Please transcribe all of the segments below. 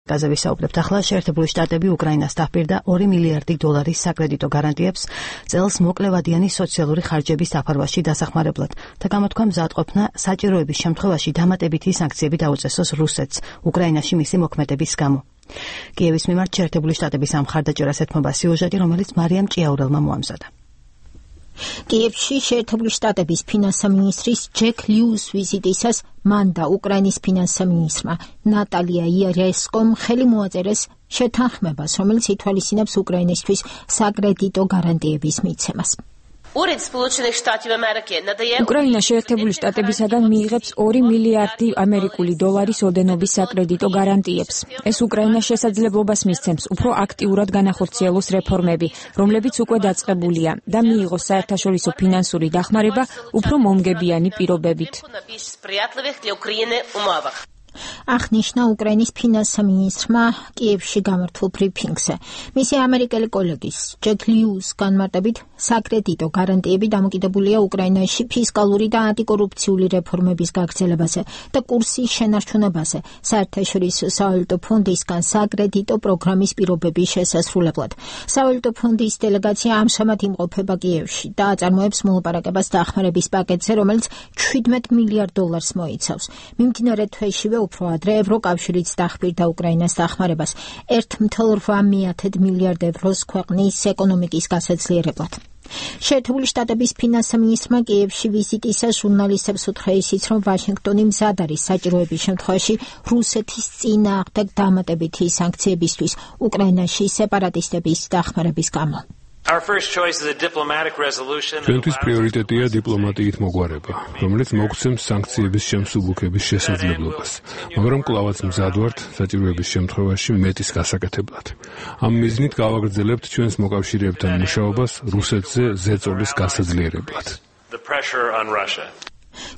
გაზე ვისაუბრებთ ახლა. შეერთებული შტატები უკრაინას დაპირდა $2 მილიარდი საკრედიტო გარანტიებს წელს მოკლევადიანი სოციალური ხარჯების დაფარვაში დასახმარებლად და გამოთქვა მზადყოფნა საჭიროების შემთხვევაში დამატებითი სანქციები დაუწესოს რუსეთს უკრაინაში მისი მოქმედების გამო. კიევის მიმართ შეერთებული შტატების ამ მხარდაჭერას ეთმობა სიუჟეტი, რომელიც მარიამ ჭიაურელმა მოამზადა. კიევში შეერთებული შტატების ფინანსთა მინისტრის ჯეკ ლიუს ვიზიტისას მან და უკრაინის ფინანსთა მინისტრმა ნატალია იარესკომ ხელი მოაწერეს შეთანხმებას, რომელიც ითვალისწინებს უკრაინისთვის საკრედიტო გარანტიების მიცემას. უკრაინა შეერთებული შტატებისაგან მიიღებს $2 მილიარდი ოდენობის საკრედიტო გარანტიებს. ეს უკრაინას შესაძლებლობას მისცემს უფრო აქტიურად განახორციელოს რეფორმები, რომლებიც უკვე დაწყებულია და მიიღოს საერთაშორისო ფინანსური დახმარება უფრო მომგებიანი პირობებით. აღნიშნა უკრაინის ფინანსთა მინისტრმა კიევში გამართულ ბრიფინგზე. მისი ამერიკელი კოლეგის ჯეკ ლიუს განმარტებით საკრედიტო გარანტიები დამოკიდებულია უკრაინაში ფისკალური და ანტიკორუფციული რეფორმების გაგრძელებაზე და კურსის შენარჩუნებაზე საერთაშორისო სავალუტო ფონდისგან საკრედიტო პროგრამის პირობების შესასრულებლად. სავალუტო ფონდის დელეგაცია ამჟამად იმყოფება კიევში და აწარმოებს მოლაპარაკებას დახმარების პაკეტზე, რომელიც $17 მილიარდ მოიცავს. მიმდინარე თვეშივე უფრო ადრე ევროკავშირიც დახბირდა უკრაინას დახმარებას €1.8 მილიარდ ქვეყნის ეკონომიკის გასაძლიერებლად. შეერთებული შტატების ფინანსთა მინისტრმა კიევში ვიზიტისას ჟურნალისტებს უთხრა ისიც, რომ ვაშინგტონი მზად არის საჭიროების შემთხვევაში რუსეთის წინააღმდეგ დამატებითი სანქციებისთვის უკრაინაში სეპარატისტების დახმარების გამო. ჩვენთვის პრიორიტეტია დიპლომატიით მოგვარება, რომელიც მოგცემს სანქციების შემსუბუქების შესაძლებლობას, მაგრამ კვლავაც მზად ვართ საჭიროების შემთხვევაში მეტის გასაკეთებლად. ამ მიზნით გავაგრძელებთ ჩვენს მოკავშირეებთან მუშაობას რუსეთზე ზეწოლის გასაძლიერებლად.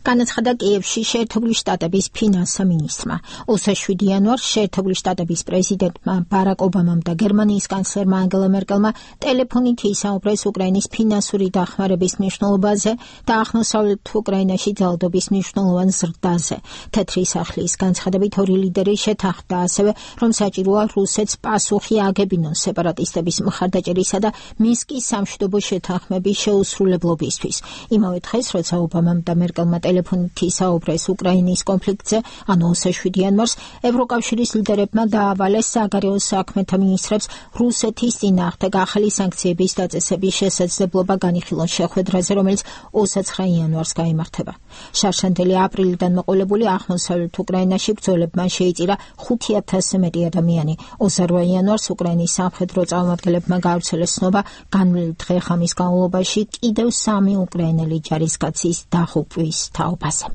განაცხადა კიევში შეერთებული შტატების ფინანსთა მინისტრმა. 27 იანვარს შეერთებული შტატების პრეზიდენტმა ბარაკ ობამამ და გერმანიის კანცლერმა ანგელა მერკელმა ტელეფონით ისაუბრეს უკრაინის ფინანსური დახმარების მნიშვნელობაზე და აღმოსავლეთ უკრაინაში ძალადობის მნიშვნელოვან ზრდაზე. თეთრი სახლის განცხადებით ორი ლიდერი შეთანხმდა ასევე, რომ საჭიროა რუსეთს პასუხი აგებინოს სეპარატისტების მხარდაჭერისა და მინსკის სამშვიდობო შეთანხმების შეუსრულებლობისთვის. იმავე დღეს, როცა ობამამ და მერკელმა ტელეფონით ისაუბრეს უკრაინის კონფლიქტზე, ანუ 27 იანვარს, ევროკავშირის ლიდერებმა დაავალეს საგარეო საქმეთა მინისტრებს რუსეთის წინააღმდეგ ახალი სანქციების დაწესების შესაძლებლობა განიხილონ შეხვედრაზე, რომელიც 29 იანვარს გაიმართება. შარშანდელი აპრილიდან მოყოლებული აღმოსავლეთ უკრაინაში ბრძოლებმა შეიწირა 5,000-ზე მეტი ადამიანი. 28 იანვარს უკრაინის სამხედრო წარმომადგენლებმა გაავრცელეს ცნობა განვლილი დღე-ღამის განმავლობაში კიდევ 3 უკრაინელი ჯარისკაცის დაღუპვის თაობაზე.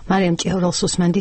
მარიამ ჭიაურელს უსმენთ.